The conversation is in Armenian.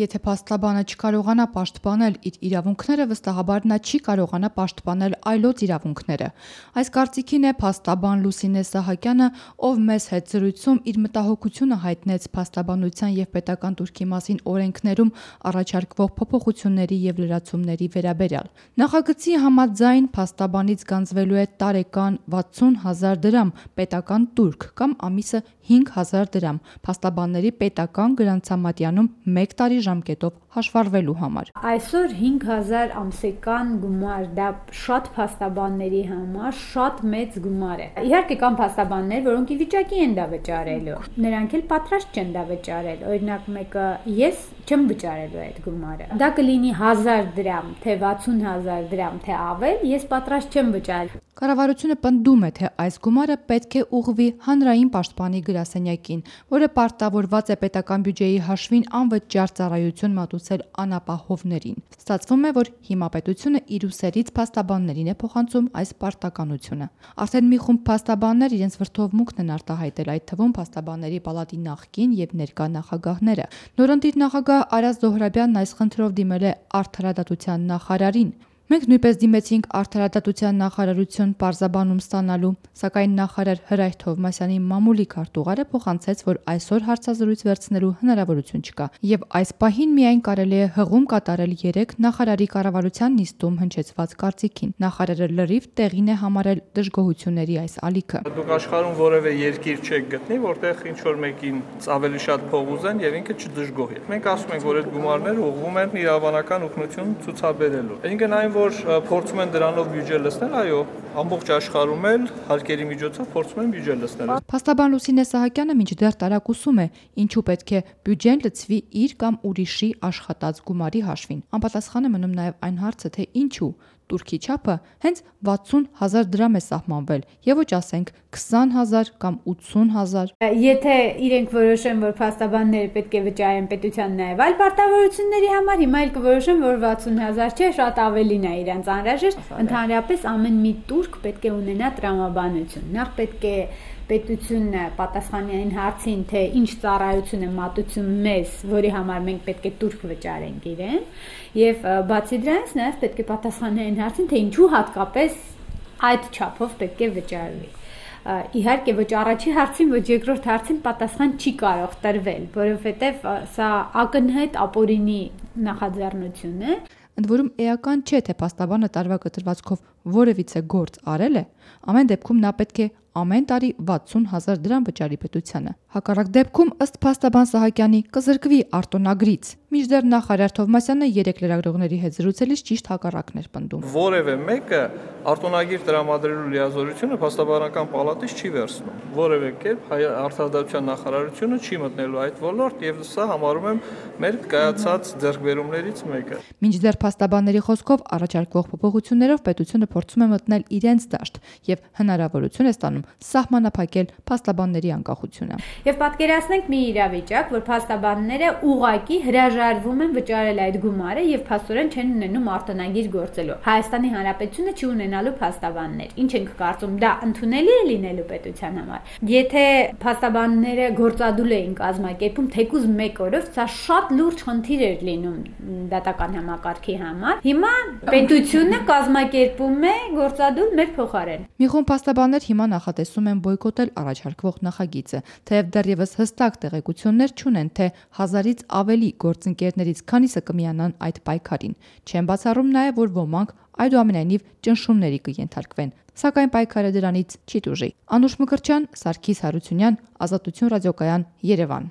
Եթե փաստաբանը չկարողանա պաշտպանել իր իրավունքները, վստահաբար նա չի կարողանա պաշտպանել այլոց իրավունքները։ Այս կարծիքին է փաստաբան Լուսինե Սահակյանը, ով մեզ հետ զրույցում իր մտահոգությունը հայտնեց փաստաբանության և պետական տուրքի մասին օրենքներում առաջարկվող փոփոխությունների և լրացումների վերաբերյալ։ Նախագծի համաձայն փաստաբանից գանձվելու է տարեկան 60,000 դրամ պետական տուրք կամ ամիսը 5,000 դրամ փաստաբանների պետական գրանցամատյանում 1 տարի ժամկետով հաշվառվելու համար։ Այսօր 5,000 ամսական գումար, դա շատ փաստաբանների համար շատ մեծ գումար է։ Իհարկե կան փաստաբաններ, որոնք ի վիճակի են դա վճարելու, նրանք էլ պատրաստ չեն դա վճարել։ Օրինակ մեկը ես չեմ վճարելու այդ գումարը։ Դա կլինի 1,000 դրամ, թե 60,000 դրամ, թե ավել, ես պատրաստ չեմ վճարել։ Կառավարությունը պնդում է, թե այս գումարը պետք է ուղղվի հանրային պաշտպանի գրասենյակին, որը պարտավորված է պետական բյուջեի հաշվին անվճար ծառայություն մատուցել անապահովներին։ Ստացվում է, որ հիմա պետությունը իր ուսերից փաստաբաններին է փոխանցում այս պարտականությունը։ Արդեն մի խումբ փաստաբաններ իրենց վրդովմունքն են արտահայտել, այդ թվում փաստաբանների պալատի նախկին եւ ներկա նախագահները։ Նորընտիր նախագահ Արազ Զոհրաբյանն այս խնդրով դիմել է Արդարադատության նախարարին։ Մենք նույնպես դիմեցինք Արդարադատության նախարարություն պարզաբանում ստանալու, սակայն նախարար Հրայր Թովմասյանի մամուլի քարտուղարը փոխանցեց, որ այսօր հարցազրույց վերցնելու հնարավորություն չկա, եւ այս պահին միայն կարելի է հղում կատարել 3 նախարարի կառավարության նիստում հնչեցված կարծիքին։ Նախարարը լրիվ տեղին է համարել դժգոհությունների այս ալիքը։ Դուք աշխարհում որևէ երկիր չեք գտնի, որտեղ ինչ որ մեկին ավելի շատ փող ուզեն եւ ինքը չդժգոհի։ Մենք ասում ենք, որ այդ գումարները ուղղվում են իրավաբանական օգնություն ցուցաբերելու։ Այսինքն այն որ փորձում են դրանով բյուջե լցնել, այո, ամբողջ աշխարհում էլ հարկերի միջոցով փորձում են բյուջե լցնել։ Փաստաբան Լուսինե Սահակյանը մինչդեռ տարակուսում է, ինչու պետք է բյուջեն լցվի իր կամ ուրիշի աշխատած գումարի հաշվին։ Անպատասխան է մնում նաև այն հարցը, թե ինչու տուրքի չափը հենց 60,000 դրամ է սահմանվել, եւ ոչ ասենք 20,000 կամ 80,000։ Եթե իրենք որոշեն, որ փաստաբանները պետք է վճարեն պետության նաև այլ պարտավորությունների համար, հիմա էլ կորոշեն, որ 60,000 չէ, շատ ավելին է իրենց անհրաժեշտ։ Ընդհանրապես ամեն մի տուրք պետք է ունենա տրամաբանություն։ Նախ պետք է պետությունը պատասխանի այն հարցին, թե ինչ ծառայություն է մատուցում մեզ, որի համար մենք պետք է տուրք վճարենք իրեն, եւ բացի դրանից նաև պետք է պատասխանի այն հարցին, թե ինչու հատկապես այդ չափով պետք է վճարվի։ Իհարկե ոչ առաջի հարցին, ոչ երկրորդ հարցին պատասխան չի կարող տրվել, որովհետև սա ակնհայտ ապօրինի նախաձեռնություն է։ Ընդ որում էական չէ, թե փաստաբանը տարվա կտրվածքով որևիցե գործ արել է, ամեն դեպքում նա պետք է ամեն տարի 60,000 դրամ վճարի պետությանը։ Հակառակ դեպքում ըստ փաստաբան Սահակյանի կզրկվի արտոնագրից։ Մինչդեռ նախարար Թովմասյանը 3 լրագրողների հետ զրուցելիս ճիշտ հակառակն էր պնդում։ Որևէ մեկը արտոնագիր տրամադրելու լիազորությունը փաստաբանական պալատից չի վերցնում։ Որևէ կերպ Արդարադատության նախարարությունը չի մտնելու այդ ոլորտ եւ սա համարում եմ մեր կայացած ձեռքբերումներից մեկը։ Մինչդեռ փաստաբանների խոսքով առաջարկվող փոփոխություններով պետությունը փորձում է մտնել իրենց դաշտ եւ հնարավորություն է ստանում սահմանափակել փաստաբանների անկախությունը։ Եվ պատկերացնենք մի իրավիճակ, որ փաստաբանները ուղղակի հրաժարվում են վճարել այդ գումարը եւ փաստորեն չեն ունենում արտոնագիր գործելու։ Հայաստանի Հանրապետությունը չի ունենալու փաստաբաններ։ Ինչ ենք կարծում, դա ընդունելի է լինելու պետության համար։ Եթե փաստաբանները գործադուլ էին կազմակերպում թեկուզ 1 օրով, սա շատ լուրջ խնդիր էր լինում դատական համակարգի համար։ Հիմա պետությունը կազմակերպում է գործադուլ մեր փոխարեն։ Մի խումբ փաստաբաններ հիմա նախատեսում են բոյկոտել առաջարկվող նախագիծը, թեև դեռևս հստակ տեղեկություններ չունեն, թե 1000-ից ավելի գործընկերներից քանիսը կմիանան այդ պայքարին։ Չեն բացառում նաև, որ ոմանք այդուամենայնիվ ճնշումների կենթարկվեն, սակայն պայքարը դրանից չի տուժի։ Անուշ Մկրտչյան, Սարգիս Հարությունյան, Ազատություն ռադիոկայան, Երևան։